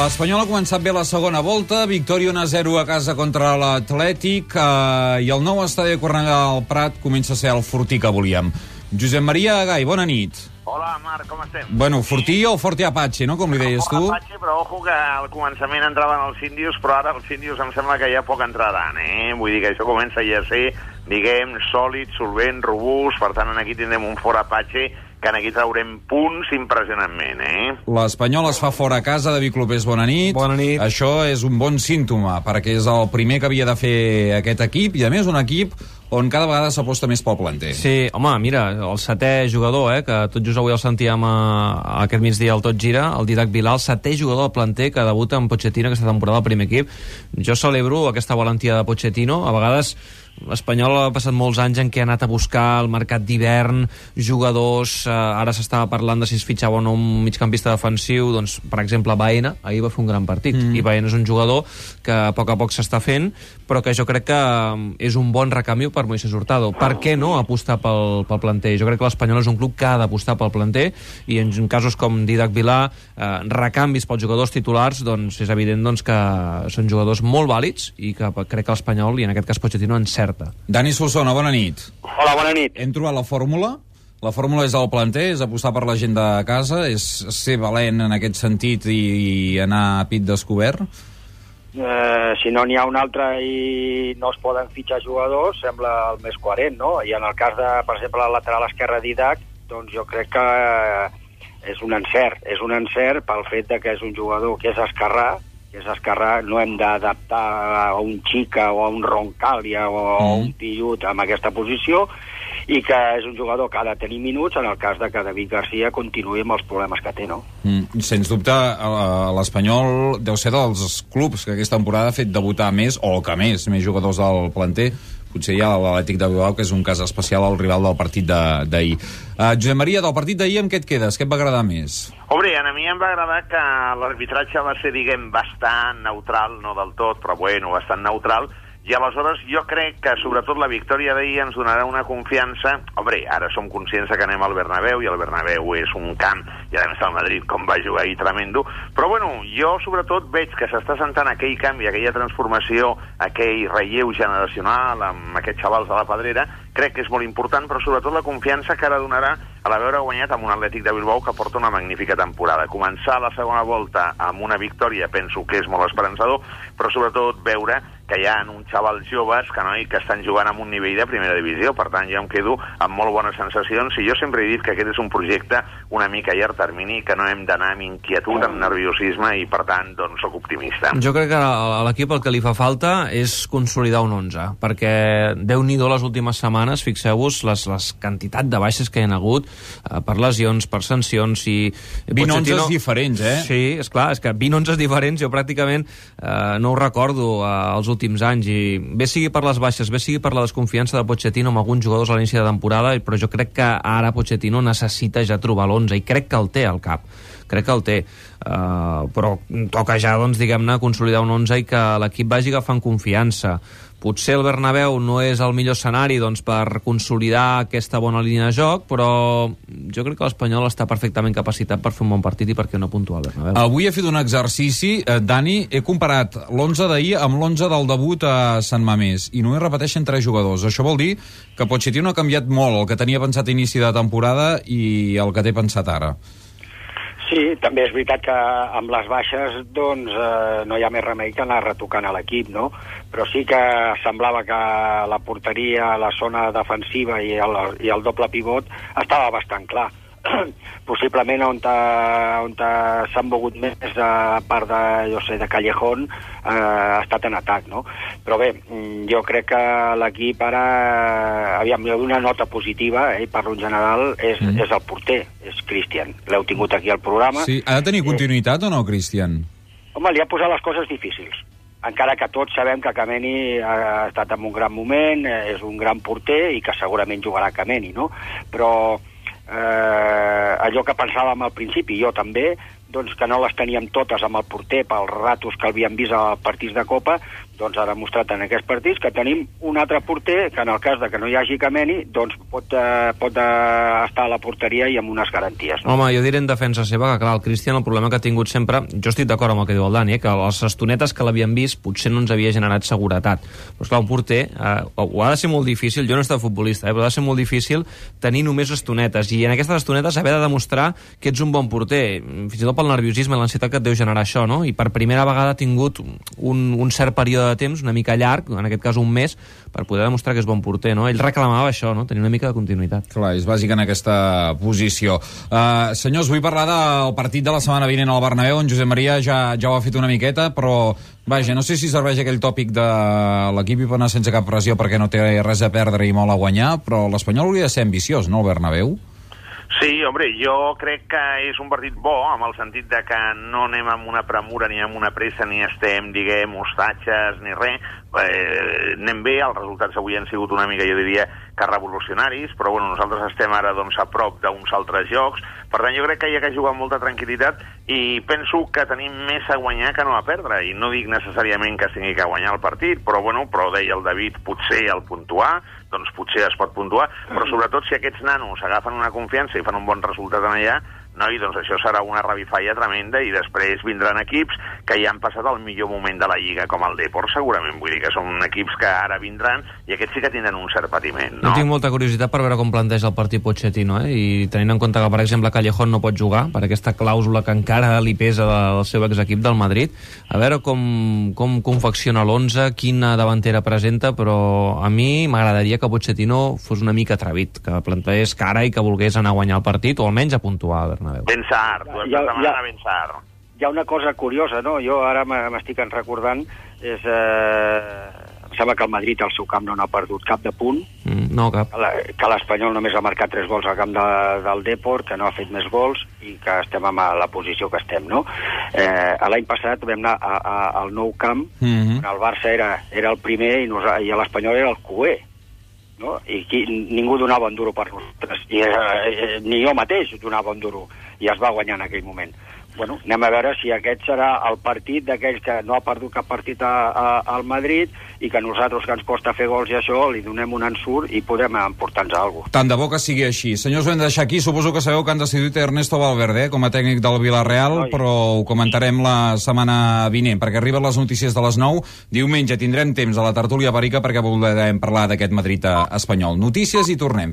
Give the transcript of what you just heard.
L'Espanyol ha començat bé la segona volta, victòria 1-0 a casa contra l'Atlètic, i el nou estadi de Cornellà del Prat comença a ser el Fortí que volíem. Josep Maria Gai, bona nit. Hola, Marc, com estem? Bueno, Fortí o Forti Apache, no?, com li deies tu? Forti Apache, però ojo que al començament entraven els índios, però ara els índios em sembla que ja poc entraran, Vull dir que això comença ja a ser, diguem, sòlid, solvent, robust, per tant, aquí tindrem un Fort Apache que aquí traurem punts impressionantment, L'Espanyol es fa fora a casa, David Clopés, bona nit. Bona nit. Això és un bon símptoma, perquè és el primer que havia de fer aquest equip, i a més un equip on cada vegada s'aposta més pel planter. Sí, home, mira, el setè jugador, que tot just avui el sentíem aquest migdia al Tot Gira, el Dídac Vilà, el setè jugador del planter que debuta amb Pochettino aquesta temporada al primer equip. Jo celebro aquesta valentia de Pochettino. A vegades l'Espanyol ha passat molts anys en què ha anat a buscar el mercat d'hivern, jugadors, ara s'estava parlant de si es fitxava o no un migcampista defensiu, doncs, per exemple, Baena, ahir va fer un gran partit, i Baena és un jugador que a poc s'està fent, però que jo crec que és un bon recanvi per Moisés Hurtado. Per què no apostar pel planter? Jo crec que l'Espanyol és un club que ha d'apostar pel planter, i en casos com Dídac Vilà, recanvis pels jugadors titulars, doncs és evident que són jugadors molt vàlids, i que crec que l'Espanyol, i en aquest cas Pochettino, encerta. Dani Solsona, bona nit. Hola, bona nit. Hem trobat la fórmula? La fórmula és el planter, és apostar per la gent de casa, és ser valent en aquest sentit i anar a pit descobert? Si no n'hi ha un altre i no es poden fitxar jugadors, sembla el més coherent, no? I en el cas de, per exemple, el lateral esquerre Dídac, doncs jo crec que és un encert pel fet de que és un jugador que és esquerrà, no hem d'adaptar a un Xica o a un Roncàlia o a un Pillut en aquesta posició, i que és un jugador que ha de tenir minuts en el cas de que David Garcia continuï amb els problemes que té, no? Sens dubte, l'Espanyol deu ser dels clubs que aquesta temporada ha fet debutar més, o que més jugadors del planter. Potser hi ha l'Atlètic de Bilbao, que és un cas especial al rival del partit d'ahir. Josep Maria, del partit d'ahir, amb què et quedes? Què et va agradar més? Hombre, a mi em va agradar que l'arbitratge va ser, diguem, bastant neutral, no del tot, però bueno, bastant neutral, i aleshores jo crec que sobretot la victòria d'ahir ens donarà una confiança. Hombre, ara som conscients que anem al Bernabéu, i el Bernabéu és un camp, i a més el Madrid com va jugar ahir tremendo, però bueno, jo sobretot veig que s'està sentant aquell canvi, aquella transformació, aquell relleu generacional amb aquests xavals de la Pedrera. Crec que és molt important, però sobretot la confiança que ara donarà a l'haver guanyat amb un Atlètic de Bilbao que porta una magnífica temporada. Començar la segona volta amb una victòria penso que és molt esperançador, però sobretot veure que hi ha uns xavals joves que estan jugant amb un nivell de primera divisió. Per tant, jo em quedo amb molt bones sensacions, i jo sempre he dit que aquest és un projecte una mica a llarg termini, que no hem d'anar amb inquietud, amb nerviosisme, i per tant, doncs, soc optimista. Jo crec que a l'equip el que li fa falta és consolidar un 11, perquè Déu-n'hi-do les últimes setmanes, fixeu-vos les quantitat de baixes que hi ha hagut per lesions, per sancions, i 20 11 diferents, Sí, esclar, és que 20 11 diferents jo pràcticament no ho recordo als últims anys, i bé sigui per les baixes, bé sigui per la desconfiança de Pochettino amb alguns jugadors a l'inici de temporada, però jo crec que ara Pochettino necessita ja trobar l'11, i crec que el té al cap, però toca ja, doncs, diguem-ne, consolidar un 11 i que l'equip vagi agafant confiança. Potser el Bernabéu no és el millor escenari, doncs, per consolidar aquesta bona línia de joc, però jo crec que l'Espanyol està perfectament capacitat per fer un bon partit, i per què no puntuar al Bernabéu. Avui he fet un exercici, Dani, he comparat l'11 d'ahir amb l'11 del debut a Sant Mamés, i només repeteixen 3 jugadors. Això vol dir que Pochettino ha canviat molt el que tenia pensat a inici de temporada i el que té pensat ara. Sí, també és veritat que amb les baixes doncs no hi ha més remei que anar retocant a l'equip, no? Però sí que semblava que la porteria, la zona defensiva i el doble pivot estava bastant clar. Possiblement on s'han mogut més a part de Callejón ha estat en atac, no? Però bé, jo crec que l'equip ara, aviam, una nota positiva, parlo en general, és el porter, és Cristian. L'heu tingut aquí al programa. Sí, ha de tenir continuïtat o no, Cristian? Home, li ha posat les coses difícils. Encara que tots sabem que Kameni ha estat en un gran moment, és un gran porter i que segurament jugarà Kameni, no? Però allò que pensàvem al principi, jo també, doncs que no les teníem totes amb el porter pels ratos que havíem vist als partits de Copa, doncs ha demostrat en aquests partits que tenim un altre porter que en el cas de que no hi hagi Kameni doncs pot estar a la porteria i amb unes garanties. No? Home, jo diré en defensa seva que, clar, el Cristian el problema que ha tingut sempre, jo estic d'acord amb el que diu el Dani, que les estonetes que l'havien vist potser no ens havia generat seguretat. Però esclar, un porter ho ha de ser molt difícil, jo no he estat futbolista, però ha de ser molt difícil tenir només estonetes, i en aquestes estonetes haver de demostrar que ets un bon porter, fins i tot pel nerviosisme i l'ansietat que et deu generar això, no? I per primera vegada ha tingut un cert període de temps, una mica llarg, en aquest cas un mes, per poder demostrar que és bon porter, no? Ell reclamava això, no? Tenir una mica de continuïtat. Clar, és bàsic en aquesta posició. Senyors, vull parlar del partit de la setmana vinent al Bernabéu. En Josep Maria ja ho ha fet una miqueta, però vaja, no sé si serveix aquell tòpic de l'equip i pot anar sense cap pressió perquè no té res a perdre i molt a guanyar, però l'Espanyol hauria de ser ambiciós, no, el Bernabéu? Sí, hombre, jo crec que és un partit bo, amb el sentit de que no anem amb una premura ni amb una pressa, ni estem, diguem, hostatges, ni res. Anem bé, els resultats avui han sigut una mica, jo diria, que revolucionaris, però bueno, nosaltres estem ara doncs, a prop d'uns altres jocs. Per tant, jo crec que hi ha que jugar amb molta tranquil·litat i penso que tenim més a guanyar que no a perdre. I no dic necessàriament que s'hagi que guanyar el partit, però bueno, deia el David, potser el puntuar, doncs potser es pot puntuar, però sobretot si aquests nanos agafen una confiança i fan un bon resultat en allà, doncs això serà una revifalla tremenda i després vindran equips que ja han passat el millor moment de la Lliga, com el Depor, segurament. Vull dir que són equips que ara vindran i aquests sí que tindran un cert patiment, no? Jo tinc molta curiositat per veure com planteja el partit Pochettino, i tenint en compte que, per exemple, Callejón no pot jugar per aquesta clàusula que encara li pesa del seu exequip del Madrid, a veure com confecciona l'11, quina davantera presenta, però a mi m'agradaria que Pochettino fos una mica atrevit, que plantegés cara i que volgués anar a guanyar el partit, o almenys a puntuar a Bernabéu. Ben sart, tu has de demanar ben sart. Hi ha una cosa curiosa, no? Jo ara m'estic recordant, em sembla que el Madrid al seu camp no n'ha perdut cap de punt, no cap. Que l'Espanyol només ha marcat 3 gols al camp del Depor, que no ha fet més gols i que estem a la posició que estem, no? L'any passat vam anar al Nou Camp, on el Barça era el primer i l'Espanyol era el cuer, no? I ningú donava un duro per nosaltres, ni jo mateix donava un duro, i es va guanyar en aquell moment. Bueno, anem a veure si aquest serà el partit d'aquells que no ha perdut cap partit al Madrid i que nosaltres, que ens costa fer gols i això, li donem un ensurt i podem emportar-nos alguna cosa. Tant de bo que sigui així. Senyors, ho hem de deixar aquí. Suposo que sabeu que han decidit Ernesto Valverde com a tècnic del Villarreal, però ho comentarem la setmana vinent, perquè arriben les notícies de les 9. Diumenge tindrem temps a la tertúlia perica perquè voldrem parlar d'aquest Madrid espanyol. Notícies i tornem.